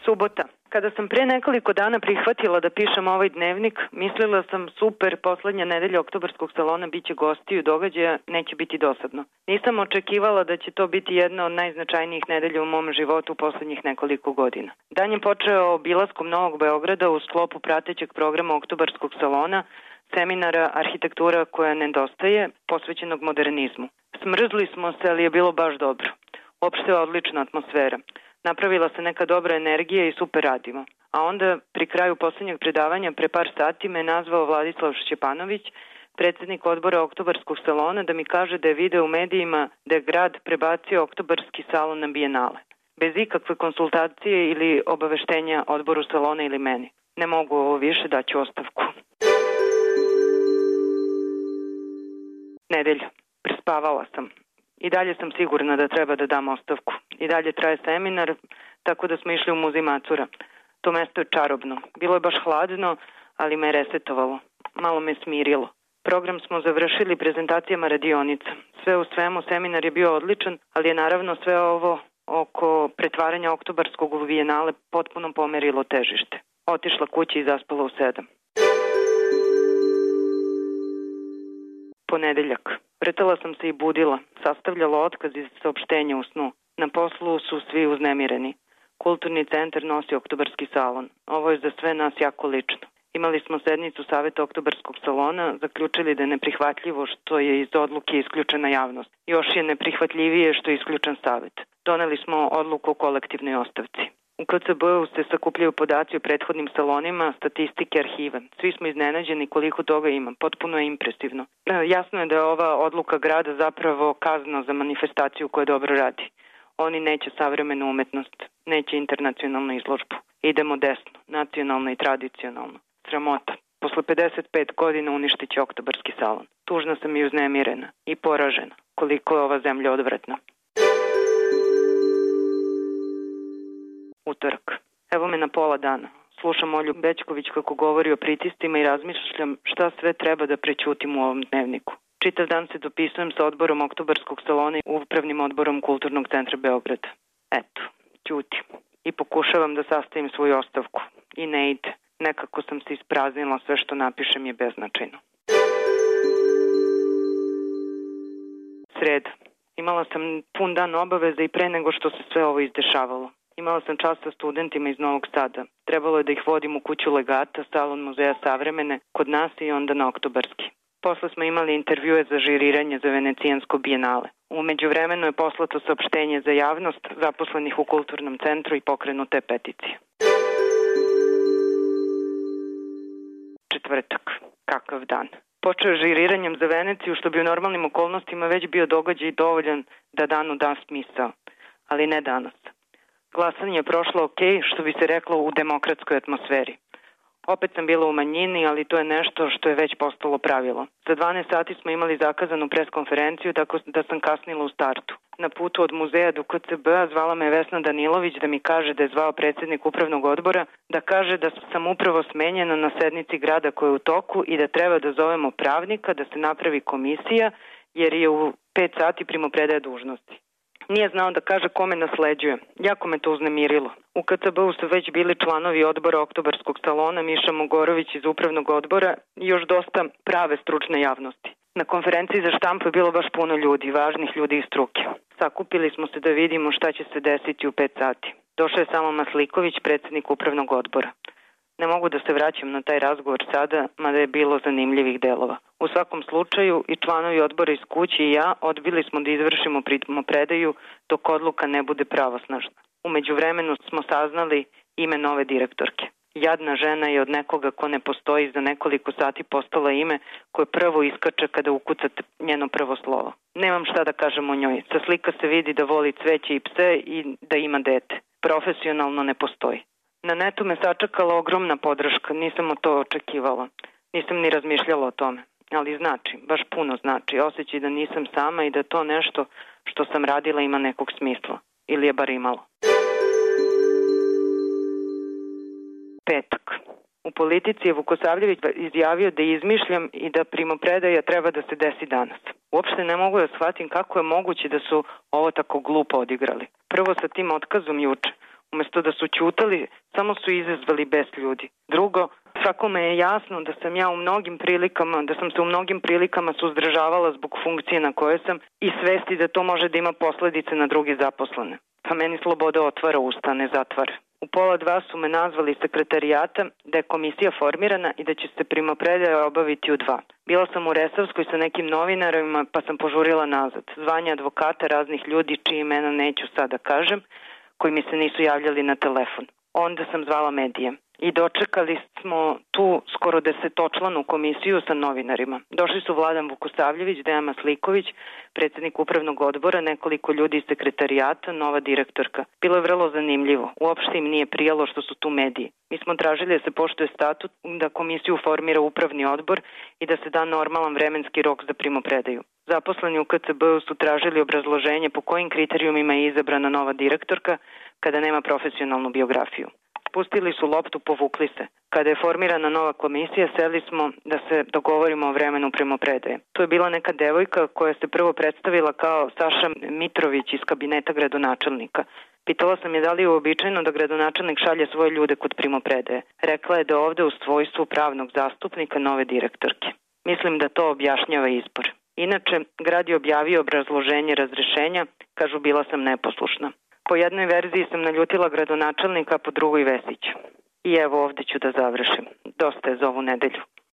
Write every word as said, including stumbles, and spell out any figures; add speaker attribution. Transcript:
Speaker 1: Subota. Kada sam pre nekoliko dana prihvatila da pišem ovaj dnevnik, mislila sam super, poslednja nedelja oktobarskog salona biće gostiju događaja, neće biti dosadno. Nisam očekivala da će to biti jedna od najznačajnijih nedelja u mom životu u poslednjih nekoliko godina. Dan je počeo obilaskom Novog Beograda u sklopu pratećeg programa oktobarskog salona, seminara Arhitektura koja nedostaje, posvećenog modernizmu. Smrzli smo se, ali je bilo baš dobro. Opšte je odlična atmosfera. Napravila se neka dobra energija i super radimo. A onda, pri kraju poslednjeg predavanja, pre par sati me nazvao Vladislav Šćepanović, predsednik odbora oktobarskog salona, da mi kaže da je video u medijima da je grad prebacio oktobarski salon na Bijenale. Bez ikakve konsultacije ili obaveštenja odboru salona ili meni. Ne mogu ovo više, daću ostavku. Nedelja. Prespavala sam. I dalje sam sigurna da treba da dam ostavku. I dalje traje seminar, tako da smo išli u muzej Macura. To mesto je čarobno. Bilo je baš hladno, ali me je resetovalo. Malo me smirilo. Program smo završili prezentacijama radionica. Sve u svemu seminar je bio odličan, ali je naravno sve ovo oko pretvaranja oktobarskog u Bijenale potpuno pomerilo težište. Otišla kući i zaspala u sedam. Ponedeljak. Vrtela sam se i budila, sastavljala otkaz iz saopštenja u snu. Na poslu su svi uznemireni. Kulturni centar nosi oktobarski salon. Ovo je za sve nas jako lično. Imali smo sednicu Saveta oktobarskog salona, zaključili da je neprihvatljivo što je iz odluke isključena javnost. Još je neprihvatljivije što je isključen savet. Doneli smo odluku o kolektivnoj ostavci. U K C B-u se sakupljaju podaci o prethodnim salonima, statistike, arhive. Svi smo iznenađeni koliko toga ima. Potpuno je impresivno. Jasno je da je ova odluka grada zapravo kazna za manifestaciju koja dobro radi. Oni neće savremenu umetnost, neće internacionalnu izložbu. Idemo desno, nacionalno i tradicionalno. Sramota. Posle pedeset pet godina uništit će oktobarski salon. Tužna sam i uznemirena i poražena koliko je ova zemlja odvratna. Utorak. Evo me na pola dana. Slušam Olju Bećković kako govori o pritiscima i razmišljam šta sve treba da prećutim u ovom dnevniku. Čitav dan se dopisujem sa odborom oktobarskog salona i upravnim odborom Kulturnog centra Beograda. Eto, ćutim. I pokušavam da sastavim svoju ostavku. I ne ide. Nekako sam se ispraznila, sve što napišem je beznačajno. Sreda. Imala sam pun dan obaveza i pre nego što se sve ovo izdešavalo. Imala sam čast sa studentima iz Novog Sada. Trebalo je da ih vodim u kuću legata, salon muzeja savremene, kod nas i onda na oktobarski. Posle smo imali intervjue za žiriranje za Venecijansko bijenale. Umeđu vremenu je poslato saopštenje za javnost zaposlenih u kulturnom centru i pokrenute peticije. Četvrtak. Kakav dan. Počeo je žiriranjem za Veneciju, što bi u normalnim okolnostima već bio događaj dovoljan da danu da smisao. Ali ne danas. Glasanje je prošlo ok, što bi se reklo u demokratskoj atmosferi. Opet sam bila u manjini, ali to je nešto što je već postalo pravilo. Za dvanaest sati smo imali zakazanu preskonferenciju, tako da sam kasnila u startu. Na putu od muzeja do K C B-a zvala me Vesna Danilović da mi kaže da je zvao predsednik upravnog odbora, da kaže da sam upravo smenjena na sednici grada koja je u toku i da treba da zovemo pravnika, da se napravi komisija, jer je u pet sati primopredaje dužnosti. Nije znao da kaže kome nasleđuje. Jako me to uznemirilo. U K C B-u su već bili članovi odbora oktobarskog salona, Miša Mogorović iz upravnog odbora i još dosta prave stručne javnosti. Na konferenciji za štampu je bilo baš puno ljudi, važnih ljudi iz struke. Sakupili smo se da vidimo šta će se desiti u pet sati. Došao je samo Masliković, predsednik upravnog odbora. Ne mogu da se vraćam na taj razgovor sada, mada je bilo zanimljivih delova. U svakom slučaju i članovi odbora iz kuće i ja odbili smo da izvršimo primopredaju dok odluka ne bude pravosnažna. Umeđu vremenu smo saznali ime nove direktorke. Jadna žena je od nekoga ko ne postoji za nekoliko sati postala ime koje prvo iskače kada ukucate njeno prvo slovo. Nemam šta da kažem o njoj. Sa slika se vidi da voli cveće i pse i da ima dete. Profesionalno ne postoji. Na netu me sačekala ogromna podrška, nisam o to očekivala. Nisam ni razmišljala o tome. Ali znači, baš puno znači. Osjećaj da nisam sama i da to nešto što sam radila ima nekog smisla. Ili je bar imalo. Petak. U politici je Vukosavljević izjavio da izmišljam i da primopredaja treba da se desi danas. Uopšte ne mogu da shvatim kako je moguće da su ovo tako glupo odigrali. Prvo sa tim otkazom juče. Umesto da su ćutali, samo su izazvali bes ljudi. Drugo, svakome je jasno da sam ja u mnogim prilikama, da sam se u mnogim prilikama suzdržavala zbog funkcije na kojoj sam i svesti da to može da ima posledice na drugi zaposlene. Pa meni sloboda otvara usta, ne zatvara. U pola dva su me nazvali iz sekretarijata da je komisija formirana i da će se primopredaja obaviti u dva. Bila sam u Resavskoj sa nekim novinarima pa sam požurila nazad. Zvanje advokata raznih ljudi čiji imena neću sada kažem, koji mi se nisu javljali na telefon. Onda sam zvala medije i dočekali smo tu skoro desetočlanu komisiju sa novinarima. Došli su Vladan Vukosavljević, Dejan Masliković, predsednik upravnog odbora, nekoliko ljudi iz sekretarijata, nova direktorka. Bilo je vrlo zanimljivo. Uopšte im nije prijalo što su tu mediji. Mi smo tražili da se poštuje statut, da komisiju formira upravni odbor i da se da normalan vremenski rok za primopredaju. Zaposleni u K C B-u su tražili obrazloženje po kojim kriterijumima je izabrana nova direktorka kada nema profesionalnu biografiju. Pustili su loptu, povukli se. Kada je formirana nova komisija, seli smo da se dogovorimo o vremenu primopredaje. Tu je bila neka devojka koja se prvo predstavila kao Saša Mitrović iz kabineta gradonačelnika. Pitala sam je da li je uobičajeno da gradonačelnik šalje svoje ljude kod primopredaje. Rekla je da ovde u svojstvu pravnog zastupnika nove direktorke. Mislim da to objašnjava izbor. Inače, grad je objavio obrazloženje razrešenja, kažu bila sam neposlušna. Po jednoj verziji sam naljutila gradonačelnika, po drugoj Vesića. I evo ovde ću da završim. Dosta je za ovu nedelju.